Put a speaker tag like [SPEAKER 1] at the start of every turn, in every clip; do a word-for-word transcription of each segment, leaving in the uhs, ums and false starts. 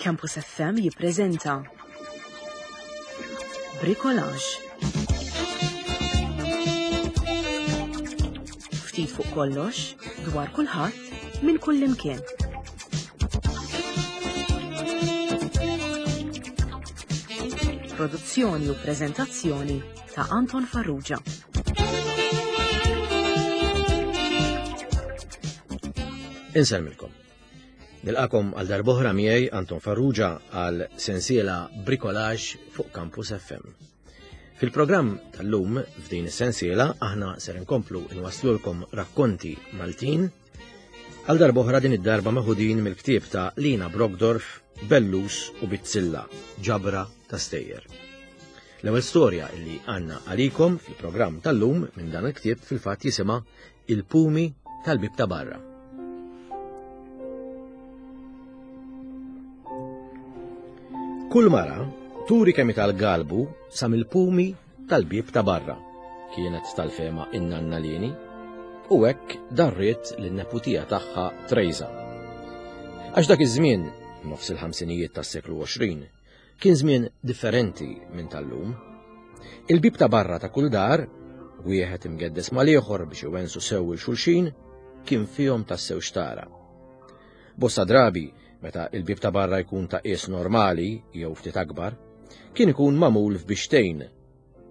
[SPEAKER 1] Campus F M jippreżenta Bricolage. Ftit fuq kollox, dwar kulħadd, minn kull imkien. Produzzjoni u preżentazzjoni ta' Anton Farrugia.
[SPEAKER 2] Insellmilkom. Nilqakom għal darb'oħra miegħi Anton Farrugia għal sensiela Bricolage fuq Campus F M. Fil-programm tal-lum f'din is-sensiela aħna ser inkomplu nwaslulkom rakkonti Maltin għal darb'oħra din id-darba meħudin mill-ktieb ta' Lina Brockdorff, Bellus u Bizzilla, ġabra ta' stejjer. L-ewwel storja li għandna għalikom fil-programm tal-lum minn dan il-ktieb fil-fatt jisimha Il-Pumi tal-Bib ta' Barra. Kull mara turi kemm tal-galbu sa mill-pumi tal-bib ta' barra, kienet tal-fema in-nanna Lini, u hekk darriet lin-neputija tagħha Trejza. Għax dak iż-żmien, nofs il-ħamsinijiet tas-seklu għoxrin, kien żmien differenti minn tal-lum. Il-bib ta' barra ta' kull dar, wieħed imgeddes mal-ieħor biex iwensu sew il xulxin, kien fihom tassew xtara. Bosta drabi, meta il-bib ta' barra jkun ta' qies normali jew ftit akbar, kien ikun magħmul f'bixtejn,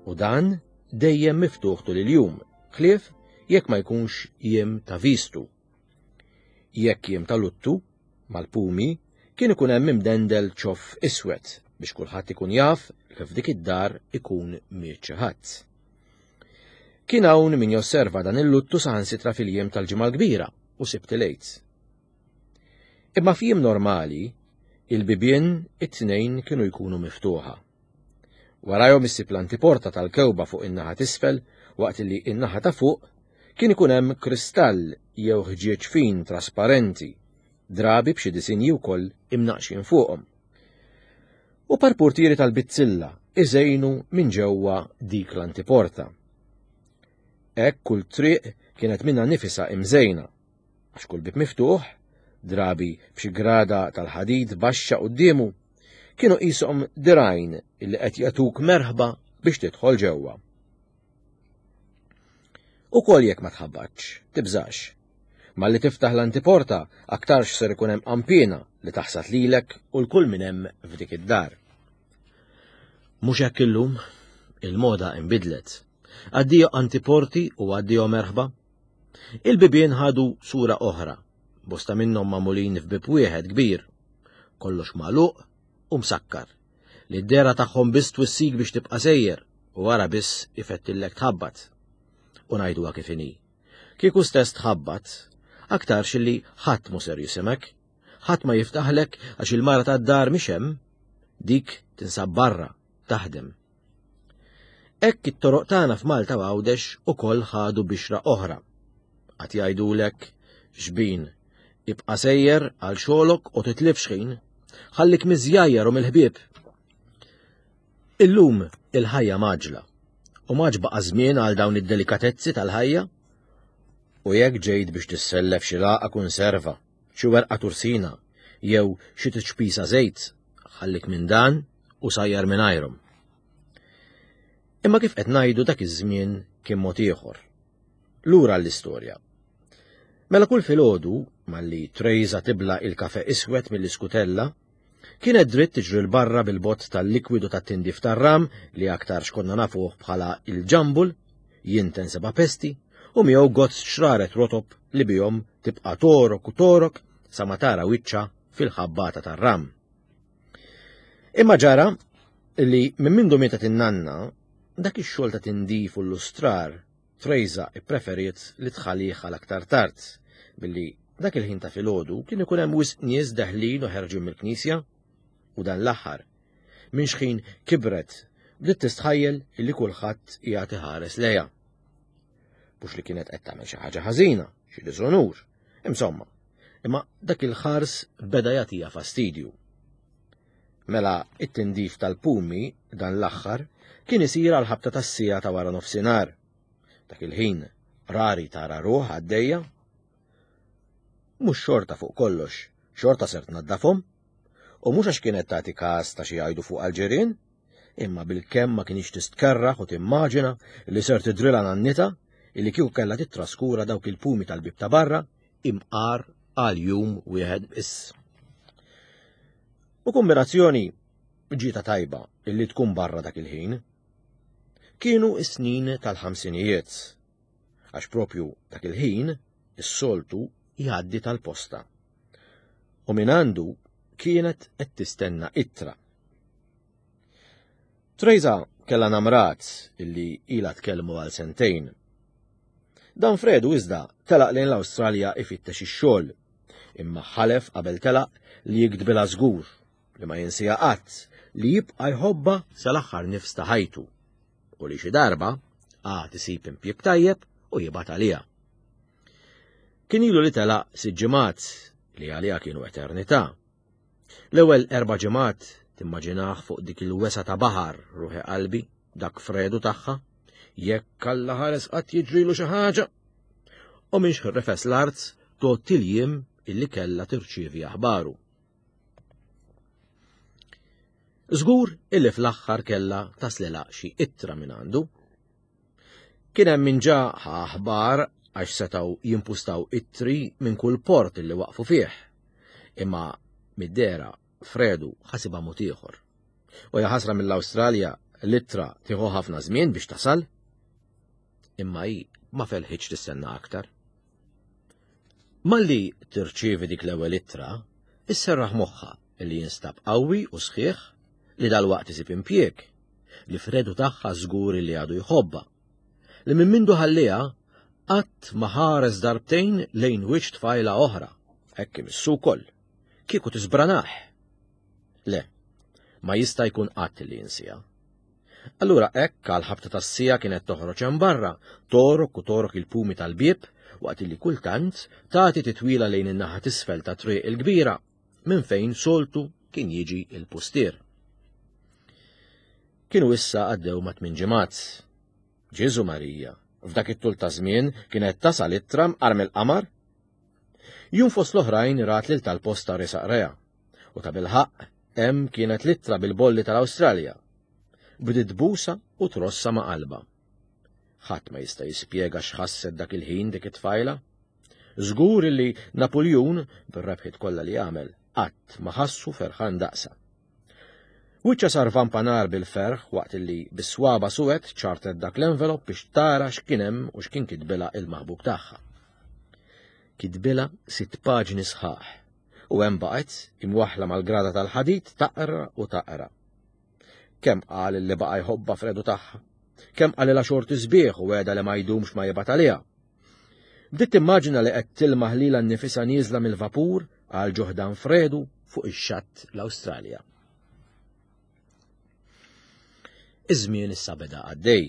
[SPEAKER 2] u dan dejjem miftuħ tul il-jum, ħlief jekk ma jkunx jiem ta' vistu. Jekk jiem ta' luttu, mal-pumi, kien ikun hemm imdendel ċoff iswed biex kulħadd ikun jaf li f'dik id-dar ikun miet xi ħadd. Kien hawn min josserva dan il-luttu saħansitra fil-jiem tal-Ġimgħa l-Kbira u Sibt il-Għid. Imma f'jiem normali, il-bibien it-tnejn kienu jkunu miftuħa. Warajhom issib l-antiporta tal-kewba fuq in-naħa t'isfel, waqt li in-naħa ta' fuq kien ikun hemm kristall jew ħġieġ fin trasparenti, drabi b'xi disinji wkoll imnaqxin fuqhom. U parpurtieri tal-bizzilla iżejnu minn ġewwa dik l-antiporta. Hekk kull triq kienet minnha nifisha imżejna, għax kull bib miftuħ, drabi b'xi grada tal-ħadid baxxa quddiemu, kienu qishom dirgħajn illi qed jagħtuk merħba biex tidħol ġewwa. Ukoll jekk ma tħabbatx, tibżax. Malli tiftaħ l-antiporta aktarx ser ikun hemm qampina li taħsad lilek u l-kull min hemm f'dik id-dar. Mhux hekk illum, il-moda inbidlet. Addio antiporti u addio merħba. Il-bibien ħadu sura oħra, bosta minnhom magħmulin f'bib wieħed kbir, kollox magħluq u msakkar, li d-dera tagħhom biss twissik biex tibqa' sejjer u wara biss ifettillek tħabbat. U ngħiduha kif inhi. Kieku stess tħabbat, aktarx li ħadd mhu ser jisimek, ħadd ma jiftaħlek għax il-mara tad-dar mhix hemm, dik tinsab barra taħdem. Hekk it-toroq tagħna f'Malta u Għawdex ukoll ħadu bixra oħra. Qatt jgħidulek xbin, ibqa' sejjer għal xogħlok u titlifx ħin, ħallik miżjajjar u mill-ħbieb. Illum il-ħajja maġla, u maġ baqa' żmien għal dawn id-delikatezzi tal-ħajja. U jekk ġejt biex tissellef xi laqgħa konserva, xi werqa tursina, jew xi tiċpisa żejt, ħallik minn dan u sajjar mingħajrhom. Imma kif qed ngħidu dak iż-żmien kien mod ieħor. Lura l-istorja. Mela kull filgħodu, malli Trejza tibla il-kafe iswed mill-iskutella, kienet dritt tiġri l-barra bil-bott tal-likwidu tat-tindif tar-ram li aktar xkonna nafuh bħala il-ġambul, jinten seba' pesti, u miegħu gozz xraret rotob li bihom tibqa' torok u torok sa ma tara wiċċa fil-ħabbata tar-ram. Imma ġara li minn mindu mietet in-nanna, dak ix-xogħol ta' tindif u l-lustrar Trejza ippreferiet li tħallih għal aktar tard, billi dak il-ħin ta' filgħodu kien ikun hemm wisq nies deħlin u ħerġin mill-knisja, u dan l-aħħar, minn xħin kibret, bdiet tistħajjel illi kulħadd qiegħed iħares lejha. Mhux li kienet qed tagħmel xi ħaġa ħażina, xi diżonur, insomma, imma dak il-ħars beda jagħtiha fastidju. Mela it-tindif tal-pumi dan l-aħħar kien isir għal ħabta tas-siegħa ta' wara nofsinhar. Dak il-ħin rari tara ruħ għaddejja. Mhux xorta fuq kollox, xorta ser tnaddafhom. U mhux għax kienet tagħti każ ta' xi jgħidu fuq għall-ġirien, imma bilkemm ma kinitx tistkerraħ u timmaġina li ser tidrilha nannitha illi kieku kellha tittraskura dawk il-pumi tal-bieb ta' barra imqar għal jum wieħed biss. U kombinazzjoni ġietha tajba illi tkun barra dak il-ħin. Kienu is-snin tal-ħamsinijiet, għax propju dak il-ħin is-soltu jgħaddi tal-posta. U min għandu kienet qed tistenna ittra. Trejza kellha namrat illi ilha tkellmu għal sentejn. Dan Fredu iżda telaq lejn l-Awstralja ifittex ix-xogħol, imma ħalef qabel telaq li jiktbilha żgur li ma jinsieha qatt, li jibqa' jħobbha sal-aħħar nifs ta' ħajtu u li xi darba għad isib impjieg tajjeb u jibgħat għaliha. Kien ilu li telaq sitt ġimgħat li għaliha kienu eternità. L-ewwel erba' ġimgħat timmaġinah fuq dik il-wesa ta' baħar ruħi qalbi, dak Fredu tagħha, jekk Alla ħares qatt jiġrilu xi ħaġa. U minn xħirrefes l-art tot il-jiem illi kellha tirċievi aħbaru. Żgur illi fl-aħħar kellha taslilha xi ittra minn għandu. Kien hemm min ġa ħa aħbar għax setgħu jimpustaw ittri minn kull port illi waqfu fih. Imma mid-dehra Fredu ħasibha mod ieħor. U jaħasra mill-Awstralja l-ittra tieħu ħafna żmien biex tasal. Imma hi ma felħitx tistenna aktar. Malli tirċievi dik l-ewwel ittra, isserraħ moħħha li jinstab qawwi u sħiħ, li dalwaqt isib impjieg, li Fredu tagħha żgur li għadu jħobbha, li minn mindu ħalliha qatt ma ħares darbtejn lejn wiċċ tfajla oħra, hekk imissu wkoll, kieku tisbranah. Le, ma jista' jkun qatt li jinsiha. Allura hekk għal ħabta tas-sija kienet toħroġ hemm barra, torok u torok il-pumi tal-bieb, waqt li kultant tagħti titwila lejn in-naħa t'isfel ta' triq il-kbira, minn fejn soltu kien jiġi il-pustier. Kienu issa għaddew ma' tmien ġimgħat. Ġesu Marija, f'dak it-tul ta' żmien kienet tasal ittra mqar mill-qamar. Jum fost l-oħrajn rat lil tal-posta resaq reha, u ta' bilħaqq hemm kienet l-ittra bil-bolli tal-Awstralja. Bdiet tbusa u trossa ma' qalbha. Ħadd ma jista' jispjega x'ħasset dak il-ħin dik it-tfajla. Żgur li Napoljun, bir-rebħiet kollha li għamel, qatt ma ħassu ferħan daqsa. Wiċċha sar vampanar bil-ferħ waqt li bis-swaba suwed ċartet dak l-envelop biex tara x'kien hemm u x'kien kitbilha il-maħbub tagħha. Kitbilha sitt paġni sħaħ u hemm baqgħet imwaħħla mal-grada tal-ħadid taqra u taqra. Kemm qal li baqa' jħobbha Fredu tagħha, kemm qalilha xorti sbieħ u għeda li ma jdumx ma jibgħat għaliha. Bdiet timmaġina li qed tilmaħ lilha nnifisha nieżla mill-vapur għal ġoħdan Fredu fuq ix-xatt l-Awstralja. Iż-żmien issa beda għaddej.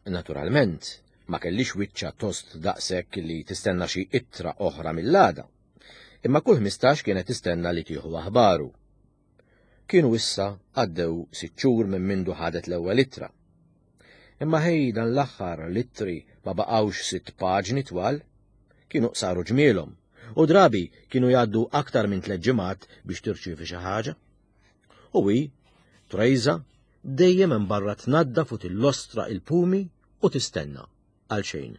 [SPEAKER 2] Naturalment, ma kellix wiċċa tost daqshekk li tistenna xi ittra oħra mill-għada, imma kull ħmistax kienet tistenna li tieħu aħbaru. Kienu issa għaddew sitt xhur minn mindu ħadet l-ewwel ittra. Imma ħej dan l-aħħar l-ittri ma baqgħux sitt paġni twal, kienu saru ġmielhom, u drabi kienu jgħaddu aktar minn tliet ġimgħat biex tirċievi xi ħaġa. U hi, Trejza, dejjem hemm barra tnaddaf u tillostra il-pumi u tistenna għal xejn.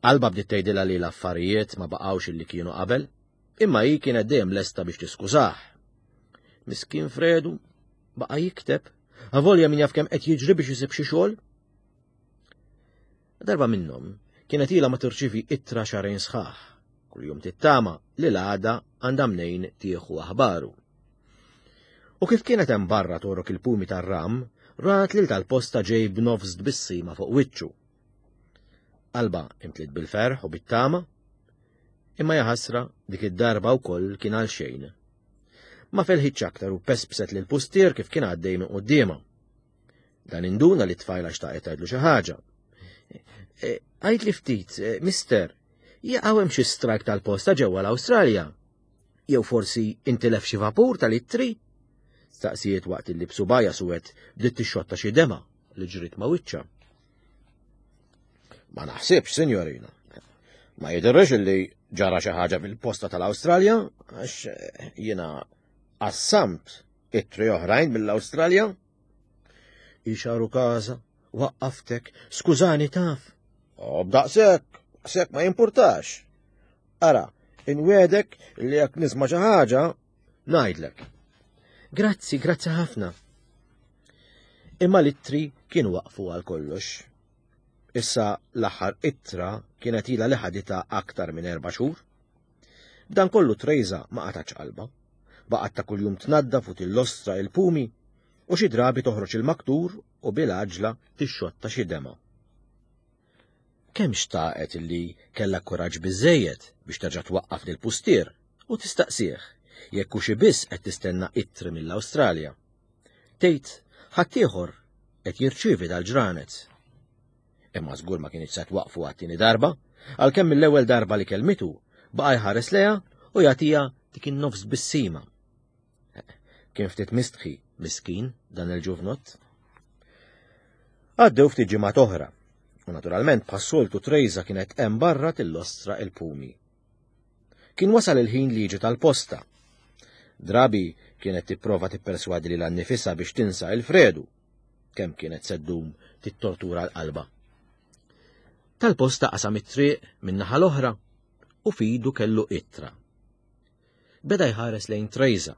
[SPEAKER 2] Qalbha bdiet tgħidilha li l-affarijiet ma baqgħux illi kienu qabel, imma hi kienet dejjem lesta biex tiskużah. Miskin Fredu baqa' jikteb, avolja min jaf kemm qed jiġri biex isib xi xogħol. Darba minnhom kienet ilha ma tirċievi ittra xahrejn sħaħ, kuljum tittama li l-għada għandha mnejn tieħu aħbaru. U kif kienet hemm barra torok il-pumi tar-ram, rat lil tal-posta ġej b'nofs tbissima fuq wiċċu. Qalbha imtliet bil-ferħ u bit-tama, imma jaħasra dik id-darba wkoll kien għal xejn. Ma felħitx aktar u pespset lil pustier kif kien għaddej minn quddiemha. Dan induna li t-tfajla xtaqet tgħidlu xi ħaġa. Għid li ftit, mister, jaqgħu hemm xi strajk tal-posta ġewwa l-Awstralja? Jew forsi intilef xi vapur tal-ittri? Staqsijiet waqt li b'subajja suwed bdiet tixxotta xi dema li ġrid ma' wiċċha. Ma naħsibx, sinjorina. Ma jidhirx li Ġara xi ħaġa fil-posta tal-Awstralja għax jiena qassamt ittri oħrajn mill-Awstralja. Ixaru kaza, waqqaftek, skużani taf. O b'daqshekk, daqshekk ma jimpurtax. Ara, inwegħdek li jekk nisma' xi ħaġa, ngħidlek. Grazzi, grazzi ħafna. Imma l-ittri kienu waqfu għal kollox. Issa l-aħħar ittra kienet ilha li ħaditha aktar minn erba' xhur. B'dan kollu Trejza ma qatgħatx qalbha. Baqgħet ta' kuljum tnaddaf u tillostra il-pumi u xi drabi toħroġ il-maktur u bil-għaġla tixxotta xi dema. Kemm xtaqet illi kellha kuraġġ biżejjed biex terġa' twaqqaf lil pustier u tistaqsih jekk hux biss qed tistenna ittri mill-Awstralja. Tgħid ħaddieħor qed jirċievi dal-ġranet. Imma żgur ma kienx se twaqfu għat-tieni darba, għalkemm mill-ewwel darba li kelmitu baqa' jħares lejha u jagħtiha dik in-nofs bissima. Kien ftit mistħi miskin dan il-ġuvnott. Għaddew ftit ġimgħat oħra, u naturalment bħas-soltu Trejza kienet hemm barra tillostra il-pumi. Kien wasal il-ħin li jiġi tal-posta. Drabi kienet tipprova tipperswadi lilha nnifisha biex tinsa il-Fredu, kemm kienet se ddum tittortura l-qalba. Tal-posta qasam it-triq min-naħa l-oħra u f'idu kellu ittra. Beda jħares lejn Trejza.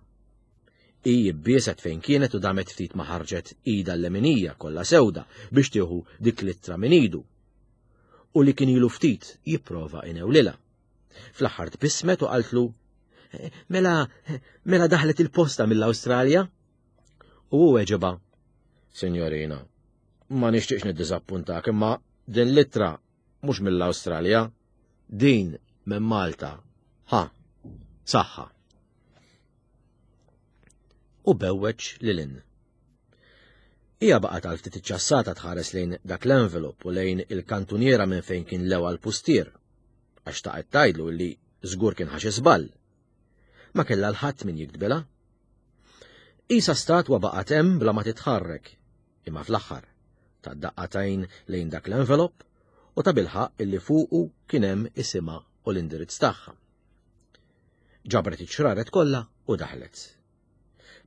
[SPEAKER 2] Hi jibbieset fejn kienet u damet ftit ma ħarġet ida l-leminija kollha sewda biex tieħu dik l-ittra minn idu. U li kien ilu ftit jipprova inewlilha. Fl-aħħar tbissmet u qaltlu, mela, mela daħlet il-posta mill-Awstralja? U hu weġibha, Signorina, ma nixtieqx niddiżappuntak, imma din l-ittra mhux mill-Awstralja, din minn Malta. Ha, saħħa. U bewweġ lil hinn. Hija baqgħet għal ftit iċċassata tħares lejn dak l-envelop u lejn il-kantuniera minn fejn kien lewa l-pustier, għax taqgħet tgħidlu li żgur kien ħa xi żball. Ma kellha l-ħadd min jiktbilha. Isa statwa baqgħet hemm bla ma titħarrek, imma fl-aħħar ta' daqqatajn lejn dak l-envelop u ta' bilħaq illi fuqu kien hemm isimha u l-indirizz tagħha. Ġabret iċ-ċraret kollha u daħlet.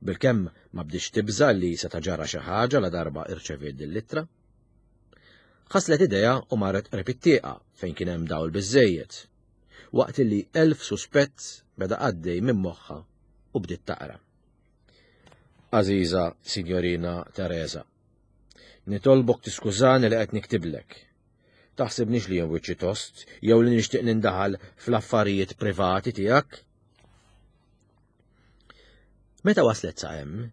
[SPEAKER 2] Bilkemm ma bdietx tibża li se ġara xi ħaġa la darba irċeviet din l-ittra. Ħaslet idejha u marret qrib it-tieqa fejn kien hemm dawl biżejjed, waqt li elf suspett beda għaddej minn moħħha u bdiet taqra. Aziza Signorina Teresa, nitolbok tiskużani li qed niktiblek. Taħsibnix li jien wiċċi tost jew li nixtieq nindaħal fl-affarijiet privati tiegħek. Meta waslet sa hemm,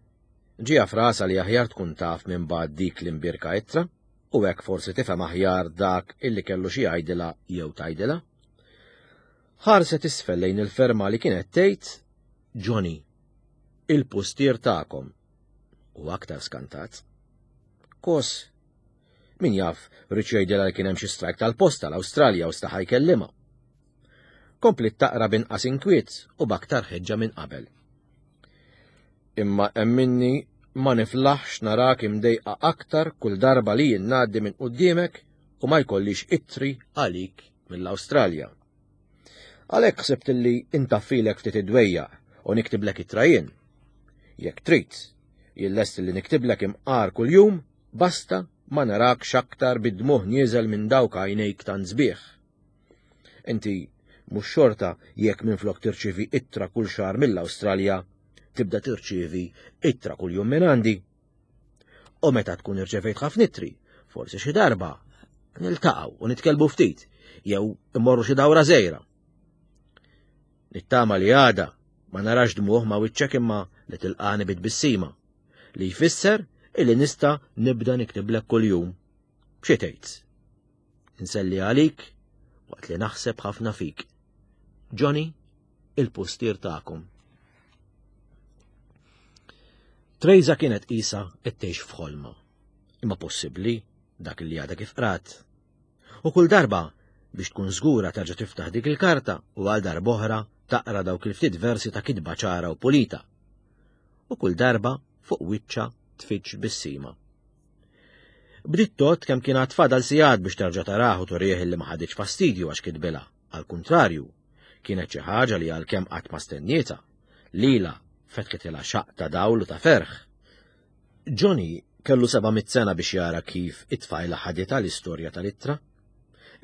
[SPEAKER 2] ġieha f'rasha li aħjar tkun taf minn ba'd dik l-imbirka ittra u hekk forsi tifhem aħjar dak illi kellu xi jgħidilha jew tgħidilha. Ħarset isfel lejn il-ferma li kienet tgħid Johnny, il-pustier tagħkom. U aktar skantat. Kos, min jaf ried jgħidilha li kien hemm xi strajk tal-posta l-Awstralja u staħa jkellimha. Kompliet taqra b'inqas inkwiet u b'aktar ħeġġa minn qabel. Imma emminni ma niflaħx narak imdejqa aktar kull darba li jien ngħaddi minn quddiemek u ma jkollix ittri għalik mill-Awstralja. Għalhekk ħsibt li intaffilek ftit id-dwejjaq u niktiblek ittra jien. Jekk trid, jien lest li niktiblek imqar kuljum, basta ma narakx aktar bid-dmuħ nieżel minn dawk għajnejk tant sbieħ. Inti mhux xorta jekk minflok tirċievi ittra kull xahar mill-Awstralja, tibda tirċievi ittra kuljum minn għandi. U meta tkun irċevejt ħafna ittri, forsi xi darba niltaqgħu u nitkellmu ftit, jew immorru xi dawra żgħira. Nittama li għada ma narax dmuħ ma wiċċek imma li tilqani bit-tbissima, li jfisser illi nista' nibda niktiblek kuljum. Xi tgħid? Inselli għalik waqt li naħseb ħafna fik. Johnny, il-pustier tagħkom. Trejza kienet qisha qed tgħix f'ħolma. Imma possibbli dak li għadha kif qrat. U kull darba biex tkun żgura terġa' tiftaħ dik il-karta u għal darb'oħra taqra dawk il-ftit versi ta' kitba ċara u pulita. U kull darba fuq wiċċha tfittx bissima. Bdiet tgħodd kemm kien għad fadal sigħat biex terġa' tarah u turih li ma ħaditx fastidju għax kitbilha, għal kuntrarju, Kienet xi ħaġa li għalkemm qatt ma stennietha, lilha fetħitilha xaqq ta' dawl u ta' ferħ. Johnny kellu seba' mitt sena biex jara kif it-tfajla ħaditha l-istorja tal-ittra.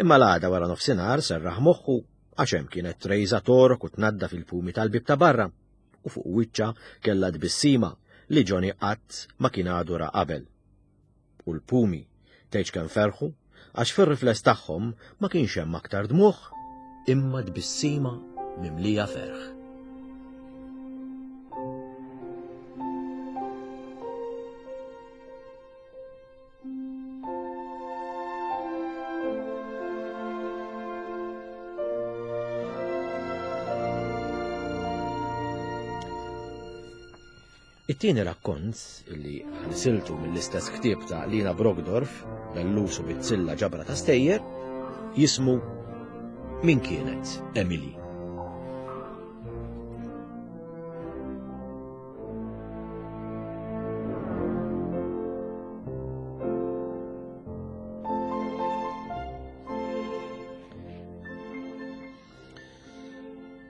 [SPEAKER 2] Imma l-għada wara nofsinhar serraħ moħħu għax hemm kienet Trejza torok u tnadda fil-pumi tal-bib ta' barra u fuq wiċċha kellha tbissima li Johnny qatt ma kien għadu ra qabel. U l-pumi tgħidx kemm ferħu għax fir-rifless tagħhom ma kienx hemm aktar dmugħ imma tbissima mimlija ferħ. It-tieni rakkont li ħnisiltu mill-istess ktieb ta' Lina Brockdorff, Bellus u Bizzilla ġabra ta' stejjer, jismu Min kienet Emily.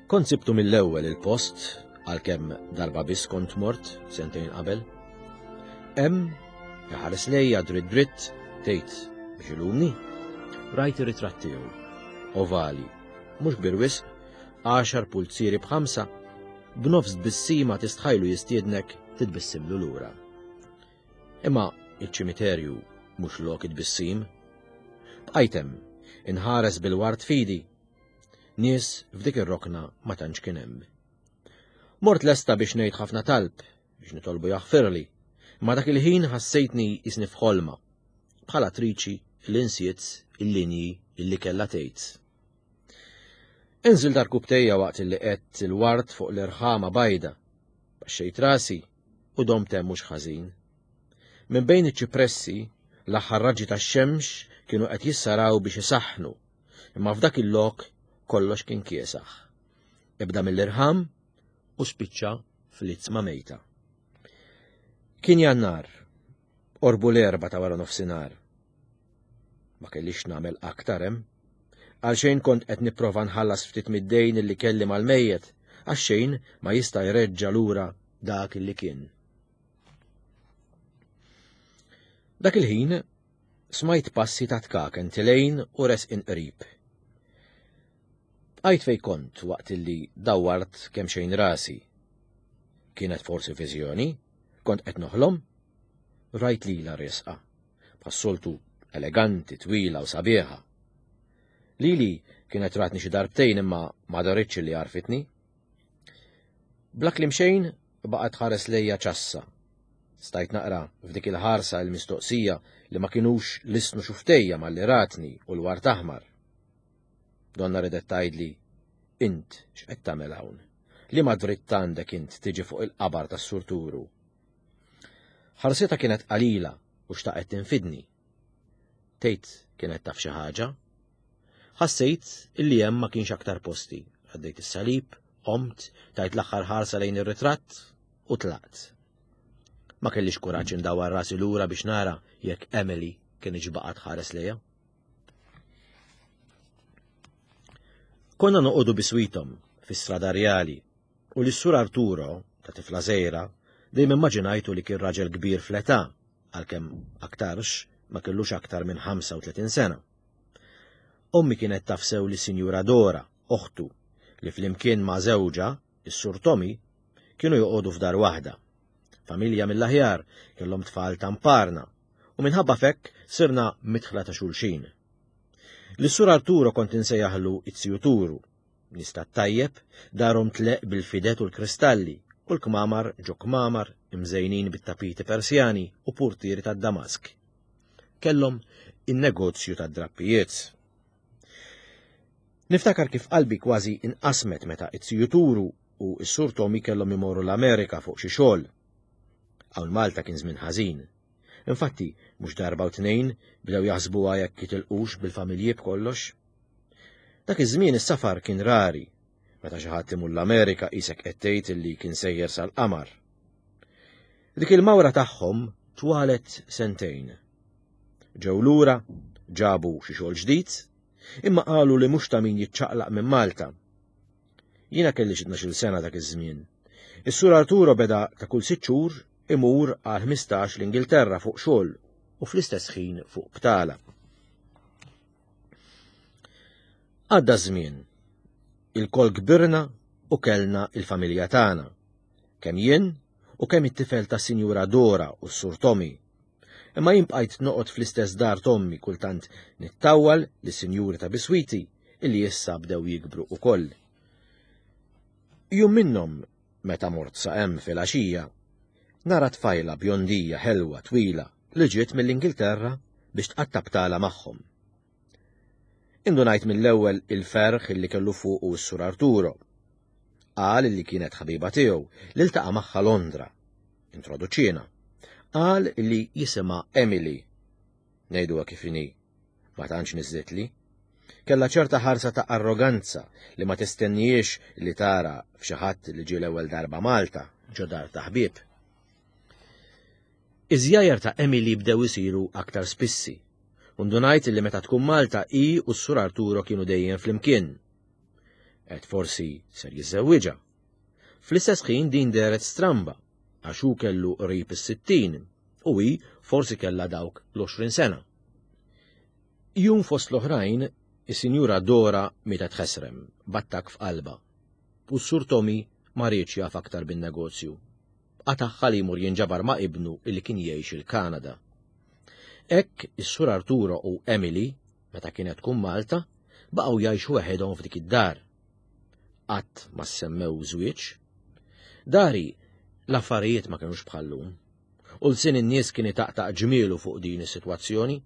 [SPEAKER 2] Kont sibtu mill-ewwel il-post, għalkemm darba biss kont mort sentejn qabel. Hemm iħares lejja dritt dritt tgħid biex ilumni. Rajt ir-ritratt tiegħu, ovali, mhux kbir wisq, għaxar pulzieri b'ħamsa, b'nofs tbissima tistħajlu jistiednek titbissimlu lura. Imma iċ-ċimiterju mhux lok it-tbissim. Bqajt hemm, inħares bil-ward fidi. Nies f'dik ir-rokna ma tantx kien hemm. Mort lesta biex ngħid ħafna talb biex nitolbu jaħfirli, ma dak il-ħin ħassejtni jisni f'ħolma, bħal attriċi li nsiet il-linji illi kellha tgħid. Inżil darkubtejja waqt illi qed il-ward fuq l-irħama bajda, baxxejt rasi u domt hemm mhux ħażin. Minn bejn iċ-ċipressi, l-aħħar raġġi tax-xemx kienu qed jissaraw biex isaħħnu, imma f'dak il-lok kollox kien kiesaħ. Ibda mill-irħam u spiċċa fl-itzma mejta. Kien Jannar, orbu l-erba ta' wara nofsinhar. Ma kellix nagħmel aktar hemm. Għalxejn kont qed nipprova nħallas ftit mid-dejn illi kelli mal-mejjet, għax xejn ma jista' jreġġa' lura dak illi kien. Dak il-ħin smajt passi ta' tkaken tilejn u resqin qrib. Bqajt fej kont waqt illi dawwart kemm xejn rasi. Kienet forsi viżjoni? Kont qed noħlom? Rajt lilha resqa, bħas-soltu eleganti, twila u sabiħa. Lili kienet ratni xi darbtejn imma ma daritx li għarfitni. Bla kliem xejn baqgħet ħares lejja ċassa. Stajt naqra f'dik il-ħarsa il-mistoqsija li ma kinux lisnu xuftejja malli ratni u l-wart aħmar. Donna ridet tgħidli, int x'qed tagħmel hawn? Li ma dritt għandek int tiġi fuq il-qabar tas-surturu? Ħarsitha kienet qalila u xtaqet tinfidni. Tgħid kienet taf xi ħaġa? Ħassejt illi hemm ma kienx aktar posti. Għaddejt is-salib, qomt, tajt l-aħħar ħarsa lejn ir-ritratt u tlaqt. Ma kellix kuraġġ indawwar rasi lura biex nara jekk Emily kienx baqgħet ħares lejha. Konna noqogħdu biswitom fi-strada rjali u lis-sur Arturo ta' tifla żgħira dejjem immaġinajtu li kien raġel kbir fl-età, għalkemm aktarx ma kellux aktar minn ħamsa u tletin sena. Ommi kienet taf sew li Sinjura Dora, oħtu, li flimkien ma' żewġha, is-sur Tommy, kienu joqogħdu f'dar waħda. Familja mill-aħjar, kellhom tfal tamparna, u minħabba fekk sirna mitħla ta' xulxin. Lis-sur Arturo kont insejjaħlu it-ziju Turu, nista' tajjeb, darhom tleq bil-fidet u l-kristalli, u l-kmamar ġo kmamar imżejnin bit-tapiti Persjani u purtieri tad-Damask. Kellhom in-negozju tad-drappijiet. Niftakar kif qalbi kważi inqasmet meta it-ziju Turu u s-sur Tommy kellhom imorru l-Amerika fuq xi xogħol. Hawn Malta kien żmien ħażin. Infatti, mhux darba u tnejn bdew jaħsbuha jekk jitilqux bil-familji b'kollox. Dak iż-żmien is-safar kien rari, meta xi ħadd imur l-Amerika qisek qed tgħid illi kien sejjer sal-qamar. Dik il-mawra tagħhom twalet sentejn. Ġew lura, ġabu xi xogħol ġdid, imma qalu li mhux ta' min jiċċaqlaq minn Malta. Jiena kelli xi tnax-il sena dak iż-żmien. Is-Sur Arturo beda ta' kull sitt xhur imur għal ħmistax l-Ingilterra fuq xogħol u fl-istess ħin fuq btala. Għadda żmien. Il-kol kbirna u kellna il-familja tagħna. Kemm jien u kemm it-tifel ta' Sinjura Dora u s-Sur Tommy. Imma jien bqajt noqgħod fl-istess dar t'ommi kultant nittawwal lis-sinjuri ta' biswiti illi issa bdew jikbru ukoll. Jum minnhom, meta mort sa hemm fil-għaxija, nara tfajla bjondija ħelwa twila li ġiet mill-Ingilterra biex tqatta' btala magħhom. Indunajt mill-ewwel il-ferħ illi kellu fuqu s-Sur Arturo. Qal li kienet ħabiba tiegħu li ltaqa' magħha Londra. Introduċiena. Qal li jisimha Emily. Ngħiduha kif inhi. Ma tantx niżlitli. Kellha ċerta ħarsa ta' arroganza li ma tistennijiex li tara f'xi ħadd li ġie l-ewwel darba Malta ġo dar ta' ħbieb. Iż-żjajjar ta' Emily bdew isiru aktar spissi. Undunajt li meta tkun Malta hi u s-Sur Arturo kienu dejjem flimkien. Et forsi ser jiżżewwiġha. Fl-istess ħin din dehret stramba, għax hu kellu qrib is-sittin u hi forsi kellha dawk l-għoxrin sena. Jum fost l-oħrajn, is-Sinjura Dora mietet ħesrem, b'attakk f'qalbha. U s-Sur Tommy ma riedx jaf aktar bin-negozju. Qatagħha li jmur jinġabar ma' ibnu illi kien jgħix il-Kanada. Hekk is-Sur Arturo u Emily, meta kienet tkun Malta, baqgħu jgħixu weħedhom f'dik id-dar. Qatt ma semmew żwieġ. Dari l-affarijiet ma kinux bħallum. U l-sin in-nies kien itaqtaq ġmielu fuq din is-sitwazzjoni.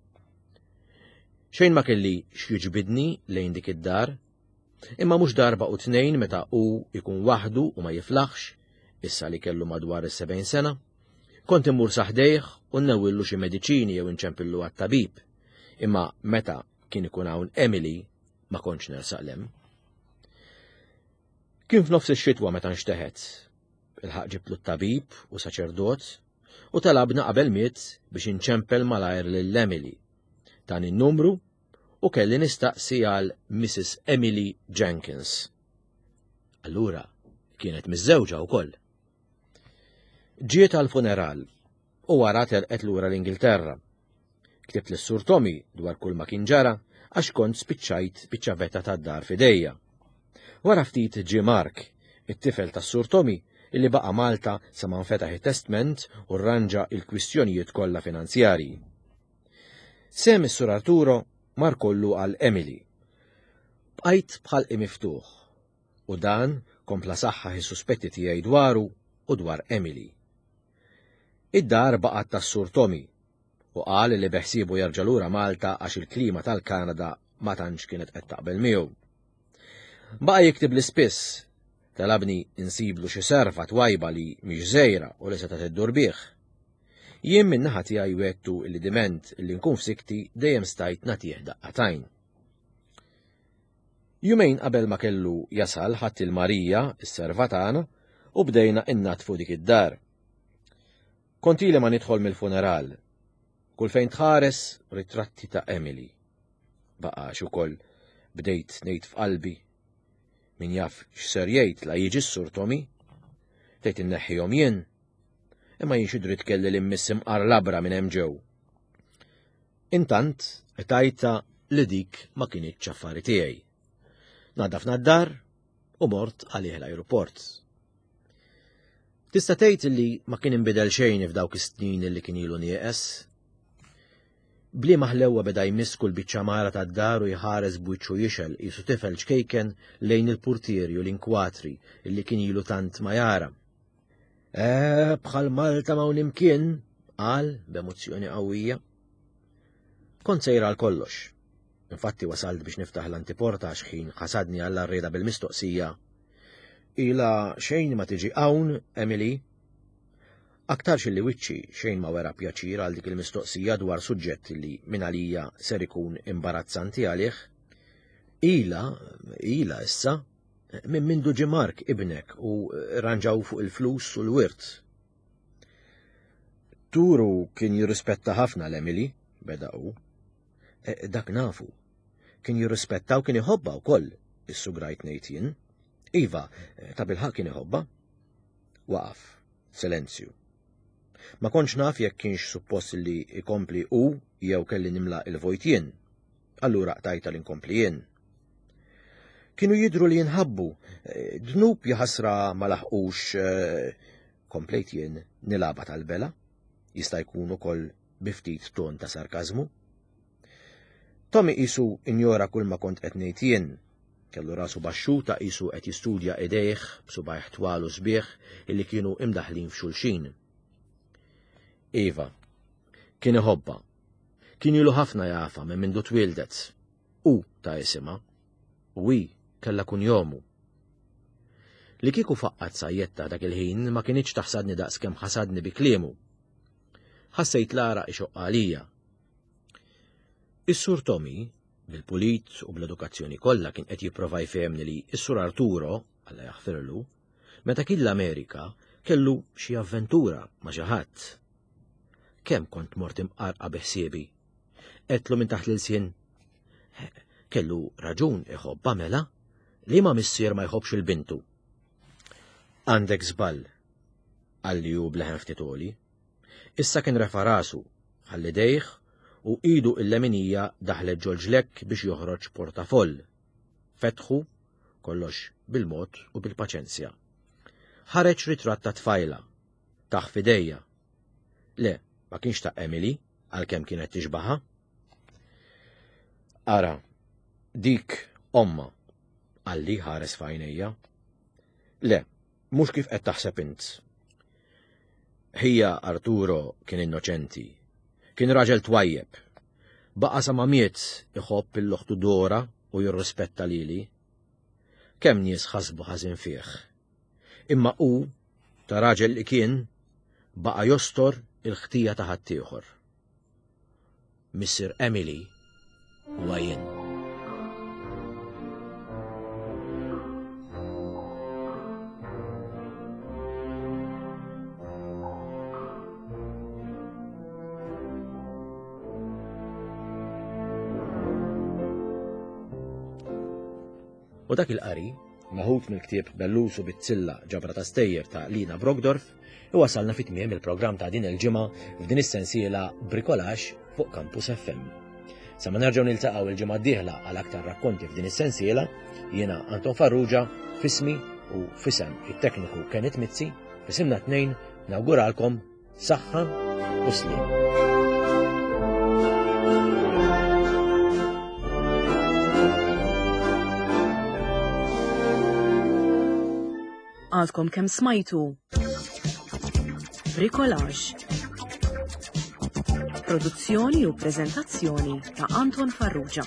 [SPEAKER 2] Xejn ma kelli x'jiġbidni lejn dik id-dar, imma mhux darba u tnejn meta hu jkun waħdu u ma jiflaħx, issa li kellu madwar is-sebgħin sena, kont immur saħdejh u nnewwillu xi mediċini jew inċempillu għat-tabib. Imma meta kien ikun hawn Emily ma kontx nersaq lem. Kien f'nofs ix-xitwa meta nxteħet. Il-ħaq ġibtlu t-tabib u saċerdot u talabna qabel miet biex inċempel malajr lil Emily. Dan in-numru u kelli nistaqsi għal Missus Emily Jenkins. Allura kienet miżżewġa wkoll. Ġiet għal-funeral u wara telqet lura l-Ingilterra. Ktibt lis-Sur Tommy dwar kull ma kien ġara għax kont spiċċajt biċ-ċavetta tad-dar f'idejja. Wara ftit ġie Mark, it-tifel tas-Sur Tommy, illi baqa' Malta sa ma nfetaħ it-testment u rranġa il-kwistjonijiet kollha finanzjarji. Sem is-Sur Arturo mar kollu għal Emily. Bqajt bħalqi miftuħ u dan kompla saħħaħ is-suspetti tiegħi dwaru u dwar Emily. Id-dar baqgħet tas-Sur Tommy u qal li beħsiebu jerġa' lura Malta għax il-klima tal-Kanada ma tantx kienet qed taqbel miegħu. Baqa' jiktib li spiss, talabni insiblu xi serva twajba li mhix żgħira u li setgħet iddur bih. Jien min-naħa tiegħi wettu li diment li nkun f'sikti dejjem stajt nagħtih daqqatajn. Jumejn qabel ma kellu jasal ħadd il-Marija, is-serva tagħna, u bdejna innatfu dik id-dar. Kont ili ma nidħol mill-funeral. Kull fejn tħares ritratti ta' Emily. Baqax ukoll bdejt ngħid f'qalbi. Min jaf x'ser jgħid la jiġi s-Sur Tommy? Tgħid inneħħihom jien. Imma jien xi dritt kelli li mmiss imqar labra minn hemm ġew. Intant tajta li dik ma kinitx affari tiegħi. Nadafna d-dar u mort għalih l-ajruport. Tista' tgħid li ma kien inbidel xejn f'dawk is-snin li kien ilu nieqes. Bliema ħlewwa beda jmiss kull biċċa mara tad-dar u jħares b'wiċċu jixel qisu tifel ċkejken lejn il-purtieri u l-inkwatri li kien ilu tant ma jara. Eh, bħal Malta ma' imkien, qal b'emozzjoni qawwija. Kont sejra għal kollox. Infatti wasalt biex niftaħ l-antiporta għax ħin ħasadni għall-arrieda bil-mistoqsija. Ila xejn ma tiġi hawn, Emily? Aktarx li wiċċi xejn ma wera pjaċir għal dik il-mistoqsija dwar suġġett li minn għalija ser ikun imbarazzanti għalih. Ila, ila issa, minn mindu ġie Mark ibnek u ranġaw fuq il-flus u l-wirt. Turu kien jirrispetta ħafna l-Emily, beda hu. E, dak nafu. Kien jirrispetta u kien iħobba wkoll, issugrajt ngħid jien. Iva, ta' bilħaqq kien iħobbha. Waqaf, silenzju. Ma kontx naf jekk kienx suppost li ikompli u jew kelli nimla il-vojt jien. Allura qtajta li nkompli jien. Kienu jidhru li jinħabbu, dnub jaħasra ma laħqux, komplejt jien nilaba tal-bela, jista' jkun ukoll bi ftit ton ta' sarkażmu. Tommy qisu injora kull ma kont qed ngħid jien. Kellu rasu baxxuta qisu qed jistudja idejh b'subgħajh twal u sbieħ illi kienu imdaħlin f'xulxin. Iva, kien iħobbha. Kien ilu ħafna jafa minn mindu twildet. U ta' isimha. U hi kellha kunjomu. Li kieku faqqat sajjetta dak il-ħin ma kinitx taħsadni daqs kemm ħasadni bi kliemu. Ħassejt l-għaraq ixoqq għalija. Is-Sur Tommy, bil-pulit u bl-edukazzjoni kollha kien qed jipprova jfehemni li s-Sur Arturo, Alla jaħfirlu, meta kien l-Amerika kellu xi avventura ma' xi ħadd. Kemm kont mort imqarqa bi ħsiebi. Għedtlu minn taħt l-ilsien. Kellu raġun iħobbha mela, li ma missier ma jħobbx il-bintu. Għandek żball, qalli hu b'leħen ftit għoli. Issa kien refa' rasu, ħalli dejh u idu il-leminija daħlet ġol-ġlekk biex joħroġ portafoll. Fetħu, kollox bil-mod u bil-paċenzja. Ħareġ ritratt ta' tfajla, taħ f'idejja. Le, ma kienx ta' Emily, għalkemm kienet tixbaha. Ara, dik omma, qalli ħares f'għajnejja. Le, mhux kif qed taħseb int. Ħija Arturo kien innoċenti. Kien raġel twajjeb. Baqa' sa ma miet iħobb il-loħtu Dora u jirrispetta lili. Kemm nies ħasbu ħażin fih. Imma hu, ta' raġel li kien, baqa' jostor il-ħtija ta' ħaddieħor. Missier Emily huwa jien. U dak il-qari, maħut mill-ktieb Bellus u Bizzilla ġabra ta' stejjer ta' Lina Brockdorff, iwasalna fi tmiem il-programm ta' din il-ġimgħa f'din is-sensiela Bricolage fuq Campus F M. Sa ma nerġgħu niltaqgħu il-ġimgħa d-dieħla għal aktar rakkonti f'din is-sensiela, jiena Anton Farrugia, fismi u fisem it-tekniku Kenneth Mizzi, fisimna tnejn nawguralkom saħħa u sliem.
[SPEAKER 1] Għadkom kemm smajtu Bricolage. Produzzjoni u preżentazzjoni ta' Anton Farrugia.